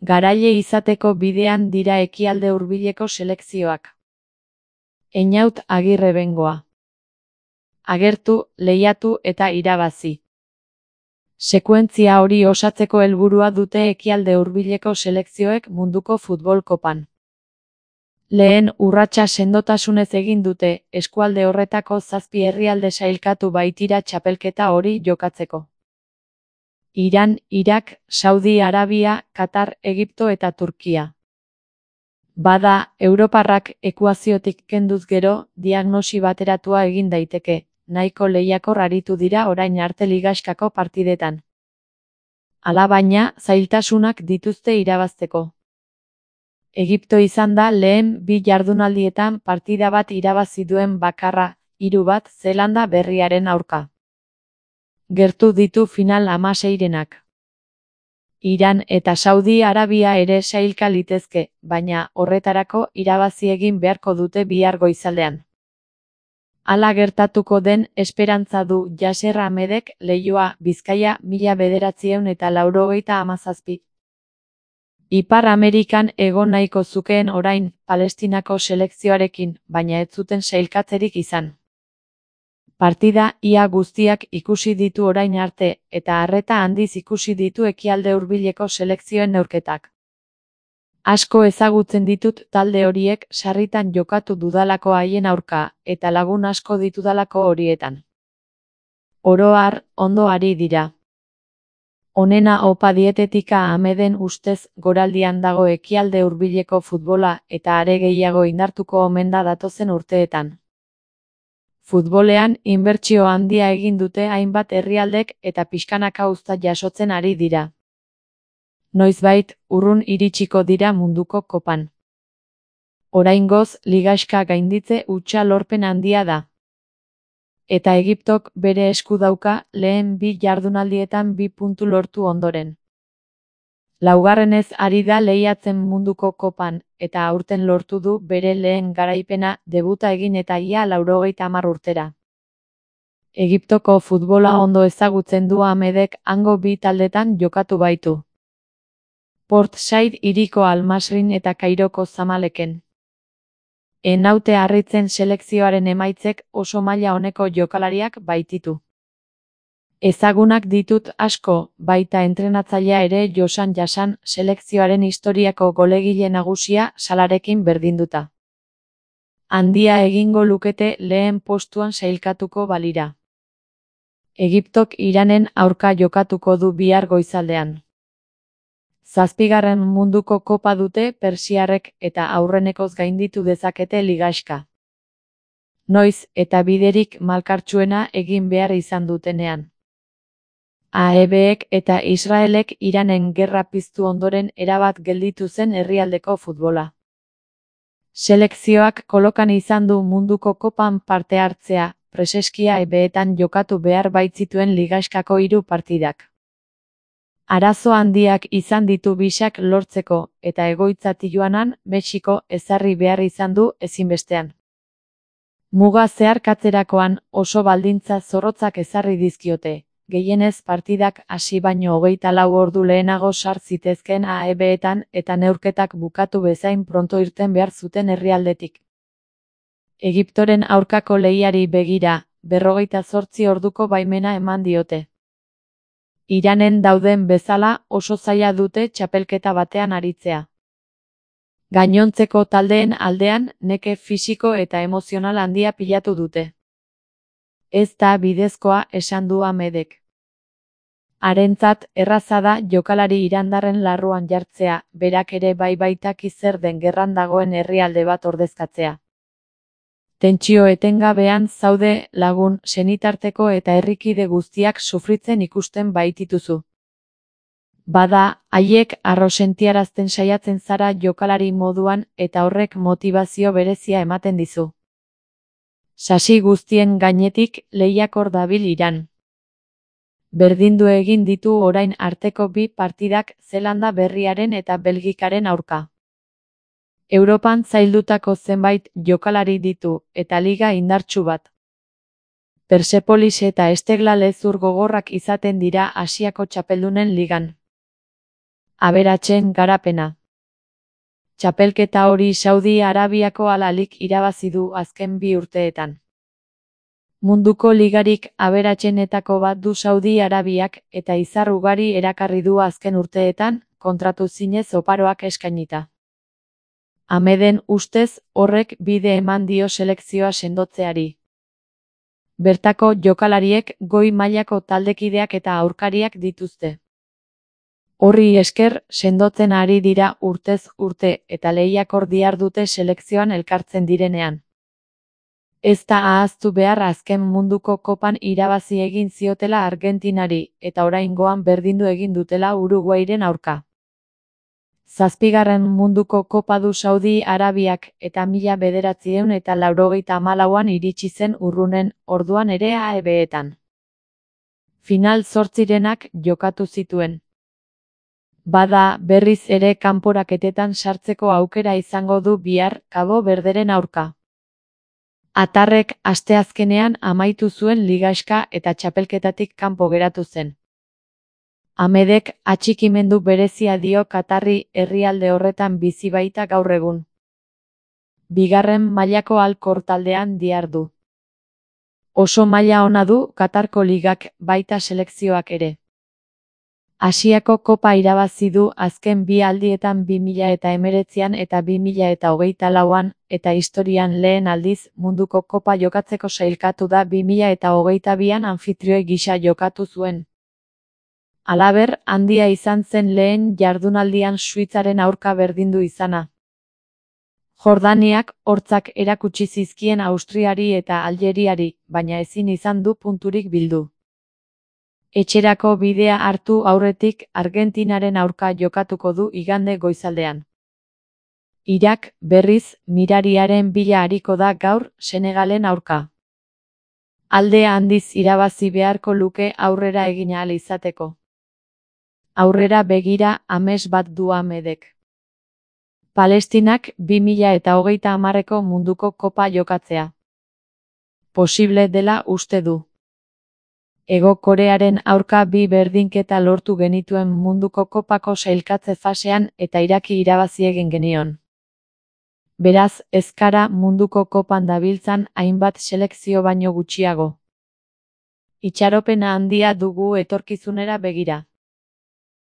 Garaile izateko bidean dira ekialde hurbileko selekzioak. Einaut Agirre Bengoa. Agertu, lehiatu eta irabazi. Sekuentzia hori osatzeko helburua dute ekialde hurbileko selekzioek munduko futbol kopan. Lehen urratsa sendotasunez egin dute, eskualde horretako 7 herrialde sailkatu baitira txapelketa hori jokatzeko. Iran, Irak, Saudi Arabia, Katar, Egipto eta Turkia. Bada, europarrak ekuaziotik kenduz gero, diagnosi bateratua egin daiteke, nahiko lehiakor aritu dira orain arte ligaxkako partidetan. Alabaina, zailtasunak dituzte irabazteko. Egipto izan da lehen 2 jardunaldietan partida bat irabazi duen bakarra, 3-1 Zeelanda Berriaren aurka. Gertu ditu final 16-renak. Iran eta Saudi Arabia ere sailka litezke, baina horretarako irabazi egin beharko dute bihar goizaldean. Hala gertatuko den esperantza du Yasser Ahmedek Leioa, Bizkaia 1997. Ipar Amerikan egon nahiko zukeen orain, Palestinako selekzioarekin, baina ez zuten sailkatzerik izan. Partida ia guztiak ikusi ditu orain arte, eta arreta handiz ikusi ditu ekialde hurbileko selekzioen neurketak. Asko ezagutzen ditut talde horiek sarritan jokatu dudalako haien aurka, eta lagun asko ditudalako horietan. Oro har, ondo ari dira. Onena opa dietetika Ahmeden ustez goraldian dago ekialde hurbileko futbola eta are gehiago indartuko omen da datozen urteetan. Futbolean inbertsio handia egin dute hainbat herrialdek eta pixkanaka uzta jasotzen ari dira. Noizbait, urrun iritsiko dira munduko kopan. Oraingoz, ligaxka gainditze hutsa lorpen handia da. Eta Egiptok bere esku dauka lehen 2 jardunaldietan 2 puntu lortu ondoren. Laugarrenez ari da lehiatzen munduko kopan, eta aurten lortu du bere lehen garaipena debuta egin eta ia 90 urtera. Egiptoko futbola ondo ezagutzen du Ahmedek hango 2 taldetan jokatu baitu. Port Said hiriko Al-Masrin eta Kairoko Zamaleken. Enaute harritzen selekzioaren emaitzek oso maila oneko jokalariak baititu. Ezagunak ditut asko, baita entrenatzailea ere Josan Jasan selekzioaren historiako golegile nagusia Salarekin berdinduta. Handia egingo lukete lehen postuan sailkatuko balira. Egiptok Iranen aurka jokatuko du bihar goizaldean. 7. munduko kopa dute persiarrek eta aurrenekoz gainditu dezakete ligaxka. Noiz eta biderik malkartsuena egin behar izan dutenean. AEBek eta Israelek Iranen gerra piztu ondoren erabat gelditu zen herrialdeko futbola. Selekzioak kolokan izan du munduko kopan parte hartzea, preseskia ebeetan jokatu behar baitzituen ligaxkako 3 partidak. Arazo handiak izan ditu bisak lortzeko, eta egoitza Tijuanan, Mexiko ezarri behar izan du ezinbestean. Muga zeharkatzerakoan oso baldintza zorrotzak ezarri dizkiote, gehienez partidak hasi baino 24 ordu lehenago sar zitezkeen AEBetan eta neurketak bukatu bezain pronto irten behar zuten herrialdetik. Egiptoren aurkako lehiari begira, 48 orduko baimena eman diote. Iranen dauden bezala oso zaila dute txapelketa batean aritzea. Gainontzeko taldeen aldean neke fisiko eta emozional handia pilatu dute. Ez da bidezkoa esan du Ahmedek. Harentzat erraza da jokalari irandarren larruan jartzea, berak ere baitaki zer den gerran dagoen herrialde bat ordezkatzea. Tentsio etengabean zaude lagun, senitarteko eta herrikide guztiak sufritzen ikusten baitituzu. Bada, haiek harro sentiarazten saiatzen zara jokalari moduan eta horrek motivazio berezia ematen dizu. Sasi guztien gainetik lehiakor dabil Iran. Berdindu egin ditu orain arteko 2 partidak Zeelanda Berriaren eta Belgikaren aurka. Europan zaildutako zenbait jokalari ditu, eta liga indartsu bat. Persepolis eta Esteghlal hezur gogorrak izaten dira Asiako txapeldunen ligan. Aberatsen garapena. Txapelketa hori Saudi Arabiako Al-Ahlik irabazi du azken 2 urteetan. Munduko ligarik aberatsenetako bat du Saudi Arabiak eta izar ugari erakarri du azken urteetan, kontratu zinez oparoak eskainita. Ahmeden ustez, horrek bide eman dio selekzioa sendotzeari. Bertako jokalariek goi mailako taldekideak eta aurkariak dituzte. Horri esker, sendotzen ari dira urtez urte eta lehiakor dihardute selekzioan elkartzen direnean. Ez da ahaztu behar azken munduko kopan irabazi egin ziotela Argentinari eta oraingoan berdindu egin dutela Uruguairen aurka. 7. munduko kopa du Saudi Arabiak eta 1984an iritsi zen urrunen, orduan ere AEB-etan. Final 8renak jokatu zituen. Bada, berriz ere kanporaketetan sartzeko aukera izango du bihar Kabo Verderen aurka. Atarrek asteazkenean amaitu zuen ligaxka eta txapelketatik kanpo geratu zen. Ahmedek atxikimendu berezia dio katarri herrialde horretan bizi baita gaur egun. 2. mailako Al-Khor taldean dihardu. Oso maila ona du Katarko ligak baita selekzioak ere. Asiako kopa irabazi du azken 2 aldietan 2019an eta 2024an eta historian lehen aldiz munduko kopa jokatzeko sailkatu da 2022an anfitrioi gisa jokatu zuen. Halaber, handia izan zen lehen jardunaldian Suitzaren aurka berdindu izana. Jordaniak hortzak erakutsi zizkien Austriari eta Aljeriari, baina ezin izan du punturik bildu. Etxerako bidea hartu aurretik Argentinaren aurka jokatuko du igande goizaldean. Irak, berriz, mirariaren bila ariko da gaur Senegalen aurka. Alde handiz irabazi beharko luke aurrera egin ahal izateko. Aurrera begira ames bat du Ahmedek. Palestinak 2030ko munduko kopa jokatzea. Posible dela uste du. Hego Korearen aurka 2 berdinketa lortu genituen munduko kopako sailkatze fasean eta Iraki irabazi egin genion. Beraz, ez gara munduko kopan dabiltzan hainbat selekzio baino gutxiago. Itxaropena handia dugu etorkizunera begira.